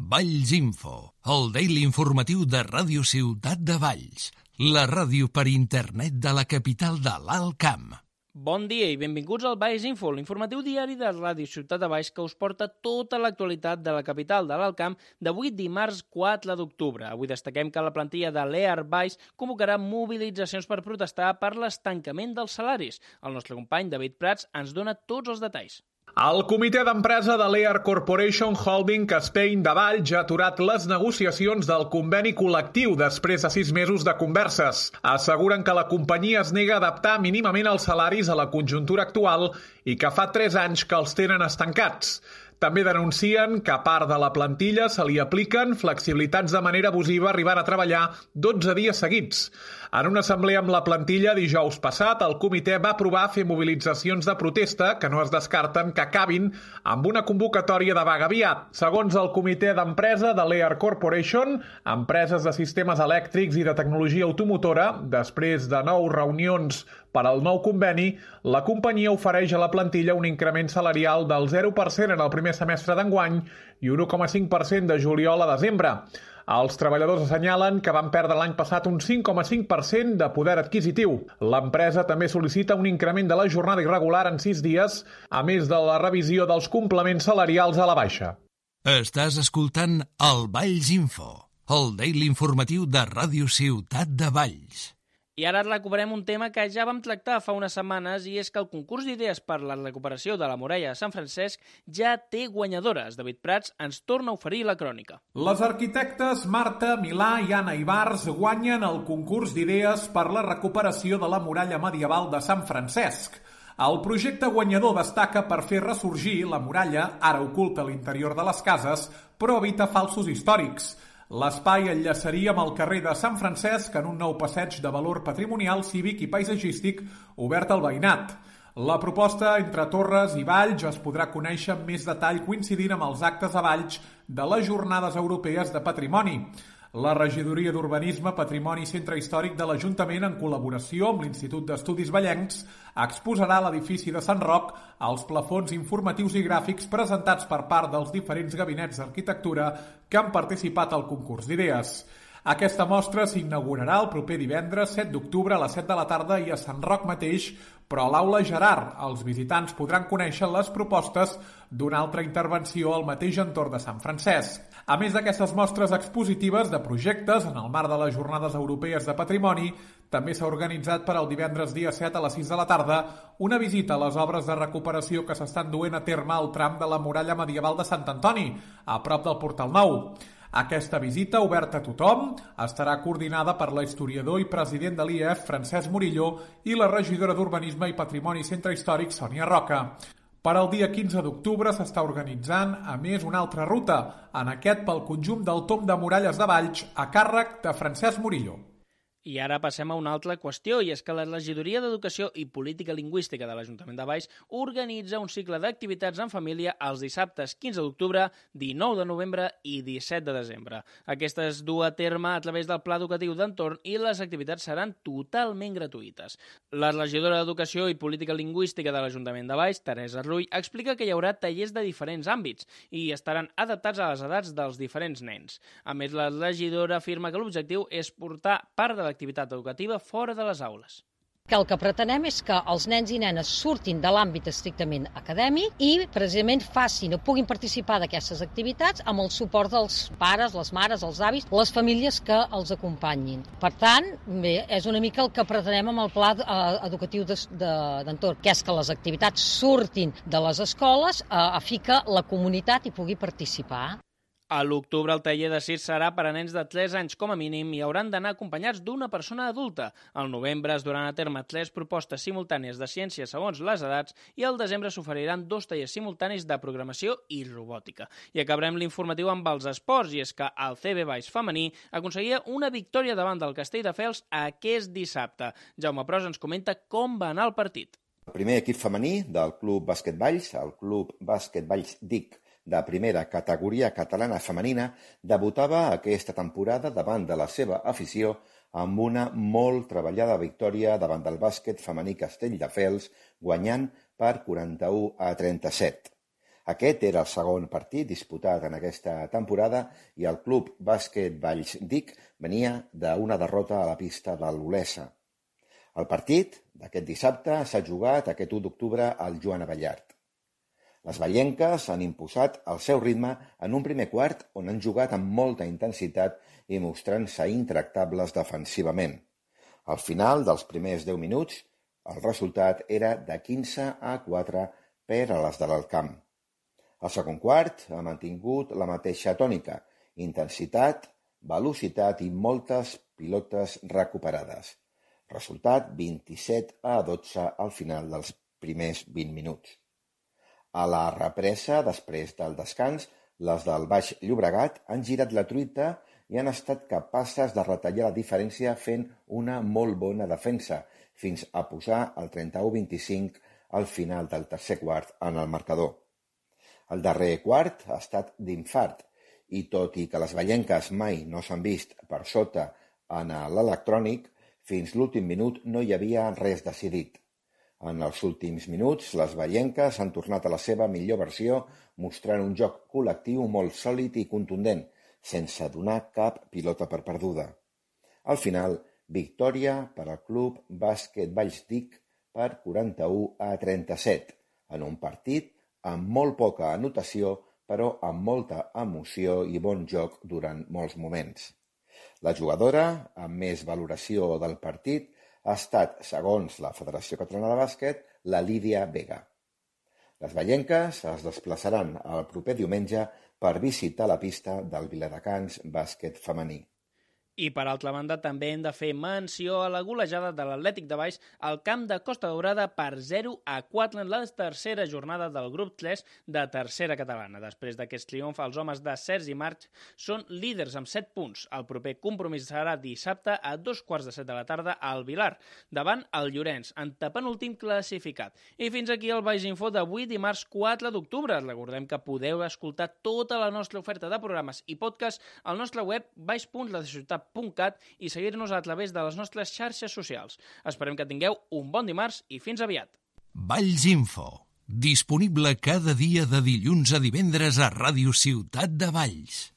Valls Info, el daily informatiu de Ràdio Ciutat de Valls, la ràdio per internet de la capital de l'Alt Camp. Bon dia i benvinguts al Valls Info, l'informatiu diari de Ràdio Ciutat de Valls que us porta tota l'actualitat de la capital de l'Alt Camp d'avui dimarts 4 d'octubre. Avui destaquem que la plantilla de l'EAR Valls convocarà mobilitzacions per protestar per l'estancament dels salaris. El nostre company David Prats ens dona tots els detalls. El comitè d'empresa de l'EAR Corporation Holding Spain de Valls ha aturat les negociacions del conveni col·lectiu després de 6 mesos de converses. Asseguren que la companyia es nega a adaptar mínimament els salaris a la conjuntura actual i que fa 3 anys que els tenen estancats. També denuncien que a part de la plantilla se li apliquen flexibilitats de manera abusiva arribant a treballar 12 dies seguits. En una assemblea amb la plantilla dijous passat, el comitè va aprovar fer mobilitzacions de protesta que no es descarten que acabin amb una convocatòria de vaga aviat. Segons el comitè d'empresa de l'EAR Corporation, empreses de sistemes elèctrics i de tecnologia automotora, després de 9 reunions per al nou conveni, la companyia ofereix a la plantilla un increment salarial del 0% en el primer semestre d'enguany i 1,5% de juliol a desembre. Els treballadors assenyalen que van perdre l'any passat un 5,5% de poder adquisitiu. L'empresa també sol·licita un increment de la jornada irregular en 6 dies, a més de la revisió dels complements salarials a la baixa. Estàs escoltant el Valls Info, el daily informatiu de Ràdio Ciutat de Valls. I ara recuperem un tema que ja vam tractar fa unes setmanes i és que el concurs d'idees per la recuperació de la muralla de Sant Francesc ja té guanyadores. David Prats ens torna a oferir la crònica. Les arquitectes Marta Milà i Anna Ibars guanyen el concurs d'idees per la recuperació de la muralla medieval de Sant Francesc. El projecte guanyador destaca per fer ressorgir la muralla, ara oculta a l'interior de les cases, però evita falsos històrics. L'espai enllaçaria amb el carrer de Sant Francesc en un nou passeig de valor patrimonial, cívic i paisatgístic obert al veïnat. La proposta entre Torres i Valls es podrà conèixer amb més detall coincidint amb els actes a Valls de les Jornades Europees de Patrimoni. La Regidoria d'Urbanisme, Patrimoni i Centre Històric de l'Ajuntament, en col·laboració amb l'Institut d'Estudis Vallencs, exposarà a l'edifici de Sant Roc els plafons informatius i gràfics presentats per part dels diferents gabinets d'arquitectura que han participat al concurs d'idees. Aquesta mostra s'inaugurarà el proper divendres 7 d'octubre a les 7 de la tarda i a Sant Roc mateix, però a l'Aula Gerard. Els visitants podran conèixer les propostes d'una altra intervenció al mateix entorn de Sant Francesc. A més d'aquestes mostres expositives de projectes en el marc de les Jornades Europees de Patrimoni, també s'ha organitzat per al divendres dia 7 a les 6 de la tarda una visita a les obres de recuperació que s'estan duent a terme al tram de la muralla medieval de Sant Antoni, a prop del Portal Nou. Aquesta visita, oberta a tothom, estarà coordinada per la historiador i president de l'IEF, Francesc Murillo, i la regidora d'Urbanisme i Patrimoni i Centre Històric, Sònia Roca. Per al dia 15 d'octubre s'està organitzant, a més, una altra ruta, en aquest pel conjunt del Tomb de Muralles de Valls, a càrrec de Francesc Murillo. I ara passem a una altra qüestió, i és que la Regidoria d'Educació i Política Lingüística de l'Ajuntament de Valls organitza un cicle d'activitats en família els dissabtes 15 d'octubre, 19 de novembre i 17 de desembre. Aquesta es du a terme a través del Pla Educatiu d'Entorn i les activitats seran totalment gratuïtes. La regidora d'Educació i Política Lingüística de l'Ajuntament de Valls, Teresa Rull, explica que hi haurà tallers de diferents àmbits i estaran adaptats a les edats dels diferents nens. A més, la regidora afirma que l'objectiu és portar part de l'activitat educativa fora de les aules. El que pretenem és que els nens i nenes surtin de l'àmbit estrictament acadèmic i precisament facin o puguin participar d'aquestes activitats amb el suport dels pares, les mares, els avis, les famílies que els acompanyin. Per tant, bé, és una mica el que pretenem amb el pla educatiu d'entorn, que és que les activitats surtin de les escoles a fi que la comunitat hi pugui participar. A l'octubre el taller de circ serà per a nens de 3 anys com a mínim i hauran d'anar acompanyats d'una persona adulta. Al novembre es duran a terme 3 propostes simultànies de ciència segons les edats i al desembre s'oferiran 2 tallers simultanis de programació i robòtica. I acabarem l'informatiu amb els esports, i és que el CB Valls femení aconseguia una victòria davant del Castelldefels aquest dissabte. Jaume Pros ens comenta com va anar el partit. El primer equip femení del Club Bàsquet Valls, el Club Bàsquet Valls DIC, de primera categoria catalana femenina, debutava aquesta temporada davant de la seva afició amb una molt treballada victòria davant del bàsquet femení Castelldefels, guanyant per 41-37. Aquest era el segon partit disputat en aquesta temporada i el Club Bàsquet Valls Dic venia d'una derrota a la pista de l'Olesa. El partit d'aquest dissabte s'ha jugat aquest 1 d'octubre al Joan Abellart. Les vallenques han imposat el seu ritme en un primer quart on han jugat amb molta intensitat i mostrant-se intractables defensivament. Al final dels primers 10 minuts, el resultat era de 15-4 per a les de l'Alt Camp. El segon quart ha mantingut la mateixa tònica, intensitat, velocitat i moltes pilotes recuperades. Resultat 27-12 al final dels primers 20 minuts. A la represa, després del descans, les del Baix Llobregat han girat la truita i han estat capaces de retallar la diferència fent una molt bona defensa, fins a posar el 31-25 al final del tercer quart en el marcador. El darrer quart ha estat d'infart, i tot i que les vallenques mai no s'han vist per sota en l'electrònic, fins l'últim minut no hi havia res decidit. En els últims minuts, les vallenques han tornat a la seva millor versió, mostrant un joc col·lectiu molt sòlid i contundent, sense donar cap pilota per perduda. Al final, victòria per al Club Bàsquet Valls Dic per 41-37, en un partit amb molt poca anotació, però amb molta emoció i bon joc durant molts moments. La jugadora amb més valoració del partit ha estat, segons la Federació Catalana de Bàsquet, la Lídia Vega. Les vallenques es desplaçaran el proper diumenge per visitar la pista del Viladecans bàsquet femení. I, per altra banda, també hem de fer menció a la golejada de l'Atlètic de Valls al camp de Costa Daurada per 0-4 en la tercera jornada del grup 3 de tercera catalana. Després d'aquest triomf, els homes de Sergi March són líders amb 7 punts. El proper compromís serà dissabte a 2:15 de la tarda al Vilar, davant el Llorenç, en penúltim classificat. I fins aquí el Baix Info d'avui, dimarts 4 d'octubre. Recordem que podeu escoltar tota la nostra oferta de programes i podcast al nostre web baix.ladeciutat.cat i seguir-nos a través de les nostres xarxes socials. Esperem que tingueu un bon dimarts i fins aviat. Valls Info, disponible cada dia de dilluns a divendres a Ràdio Ciutat de Valls.